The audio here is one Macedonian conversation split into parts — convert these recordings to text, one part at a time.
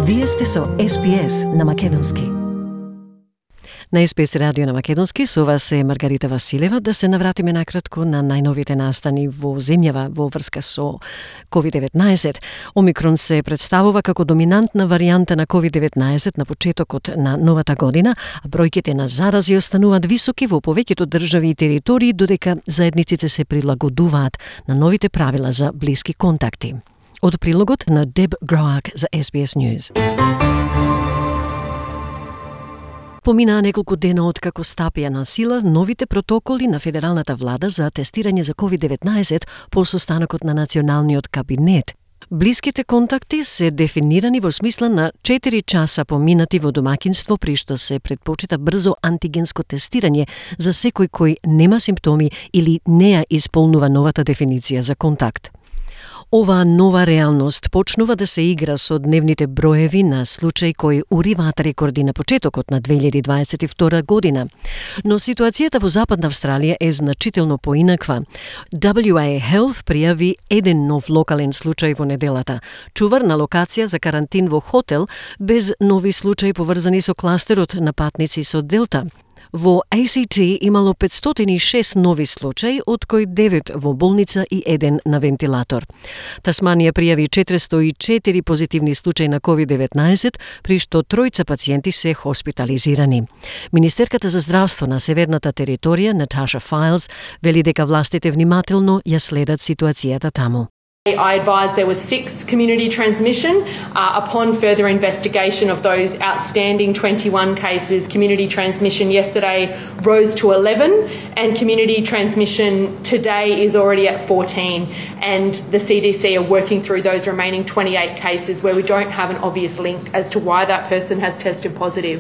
Вие сте со SBS на Македонски. На SBS радио на Македонски со вас е Маргарита Василева. Да се навратиме накратко на најновите настани во земјава во врска со COVID-19. Омикрон се представува како доминантна варијанта на COVID-19 на почетокот на новата година, а бројките на зарази остануваат високи во повеќето држави и територии, додека заедниците се прилагодуваат на новите правила за блиски контакти. Од прилогот на Деб Гроак за SBS News. Поминаа неколку дена од како стапија на сила новите протоколи на федералната влада за тестирање за COVID-19 по состанокот на Националниот кабинет. Блиските контакти се дефинирани во смисла на 4 часа поминати во домаќинство, при што се предпочита брзо антигенско тестирање за секој кој нема симптоми или не ја исполнува новата дефиниција за контакт. Оваа нова реалност почнува да се игра со дневните броеви на случаи кои уриваат рекорди на почетокот на 2022 година. Но ситуацијата во Западна Австралија е значително поинаква. WA Health пријави еден нов локален случај во неделата. Чувар на локација за карантин во хотел без нови случаи поврзани со кластерот на патници со Делта. Во ACT имало 506 нови случаи, од кои 9 во болница и 1 на вентилатор. Тасманија пријави 404 позитивни случаи на COVID-19, при што 3 пациенти се хоспитализирани. Министерката за здравство на Северната територија, Наташа Файлс, вели дека властите внимателно ја следат ситуацијата таму. I advised there was 6 community transmission. Upon further investigation of those outstanding 21 cases, community transmission yesterday rose to 11 and community transmission today is already at 14. And the CDC are working through those remaining 28 cases where we don't have an obvious link as to why that person has tested positive.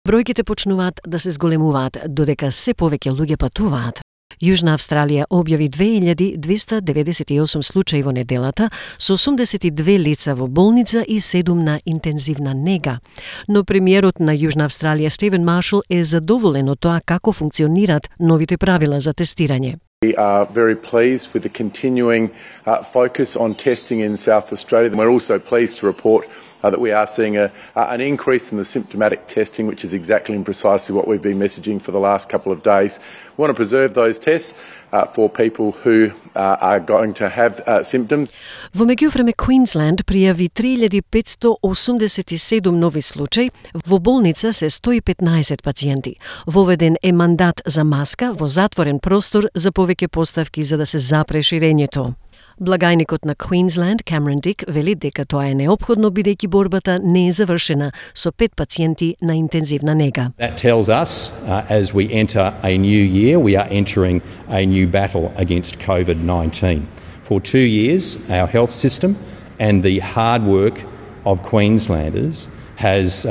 Бројките почнуваат да се зголемуваат, додека се повеќе луѓе патуваат. Јужна Австралија објави 2298 случаи во неделата, со 82 лица во болница и 7 на интензивна нега. Но премиерот на Јужна Австралија Стивен Маршал е задоволен од тоа како функционираат новите правила за тестирање. We are very pleased with the continuing focus on testing in South Australia. We're also pleased to report that we are seeing an increase in the symptomatic testing, which is exactly and precisely what we've been messaging for the last couple of days. We want to preserve those tests for people who are going to have symptoms. Во меѓувреме Квинсленд пријави 3587 нови случаи, во болница се 115 пациенти. Воведен е мандат за маска во затворен простор за повеќе поставки за да се запре ширењето. Благајникот на Квинсленд, Камерон Дик, вели дека тоа е неопходно бидејќи борбата не е завршена со 5 пациенти на интензивна нега. That tells us as we enter a new year, we are entering a new battle against COVID-19. For 2 years, our health system and the hard work of Queenslanders has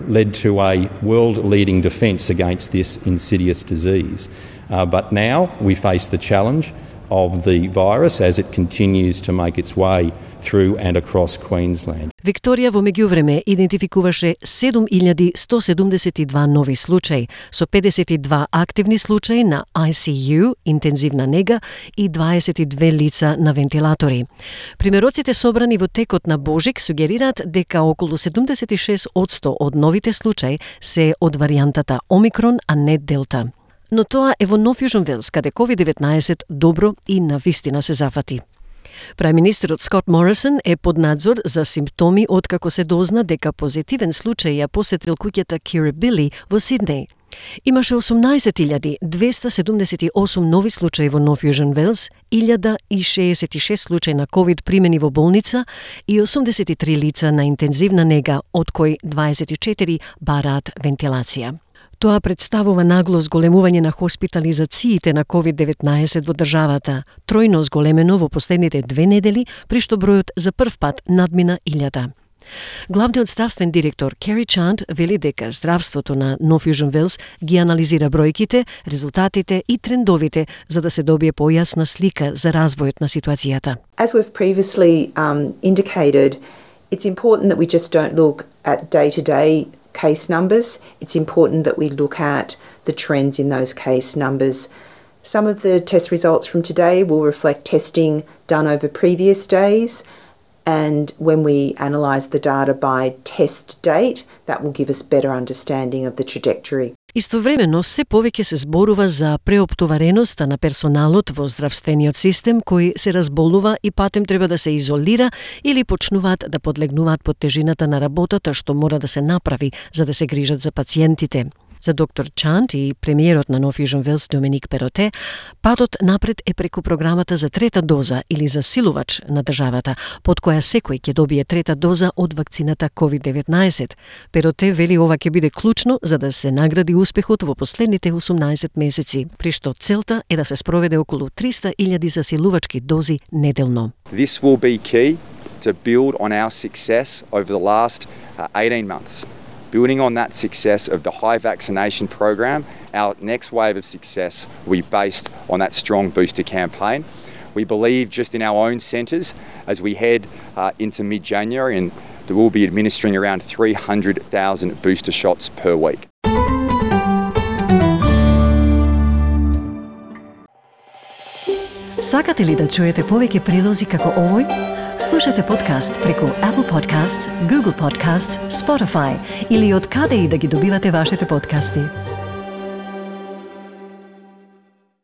led to a world-leading defence against this insidious disease. But now we face the challenge of the virus as it continues to make its way through and across Queensland. Викторија во меѓувреме идентификуваше 7172 нови случаи, со 52 активни случаи на ICU, интензивна нега и 22 лица на вентилатори. Примероците собрани во текот на Божик сугерираат дека околу 76% од новите случаи се од варијантата Омикрон, а не Делта. Но тоа е во Нов Јужен Велс, каде COVID-19 добро и навистина се зафати. Прајминистерот Скот Морисон е под надзор за симптоми откако се дозна дека позитивен случај ја посетил куќата Кирибили во Сиднеј. Имаше 18.278 нови случаи во Нов Јужен Велс, 1066 случаи на COVID примени во болница и 83 лица на интензивна нега, од кои 24 бараат вентилација. Тоа представува нагло зголемување на хоспитализациите на COVID-19 во државата, тројно зголемено во последните 2 недели, при што бројот за прв пат надмина 1000. Главниот здравствен директор Кери Чанд вели дека здравството на Нов Јужен Велс ги анализира бројките, резултатите и трендовите за да се добие појасна слика за развојот на ситуацијата. As we've previously indicated, it's important that we just don't look at day-to-day case numbers. It's important that we look at the trends in those case numbers. Some of the test results from today will reflect testing done over previous days, And when we analyse the data by test date, that will give us better understanding of the trajectory. Истовремено, се повеќе се зборува за преоптовареноста на персоналот во здравствениот систем кој се разболува и патем треба да се изолира или почнуваат да подлегнуваат под тежината на работата што мора да се направи за да се грижат за пациентите. За доктор Чант и премиерот на Нов Јужен Велс Доминик Пероте, патот напред е преку програмата за трета доза или засилувач на државата, под која секој ќе добие трета доза од вакцината COVID-19. Пероте вели ова ќе биде клучно за да се награди успехот во последните 18 месеци, при што целта е да се спроведе околу 300.000 засилувачки дози неделно. This will be key to build on our success over the last 18 months. Building on that success of the high vaccination program, our next wave of success will be based on that strong booster campaign. We believe just in our own centres, as we head into mid-January, and we will be administering around 300,000 booster shots per week. Сакате ли да чуете повеќе прилози како овој? Слушате подкаст преку Apple Podcasts, Google Podcasts, Spotify или од каде и да ги добивате вашите подкасти.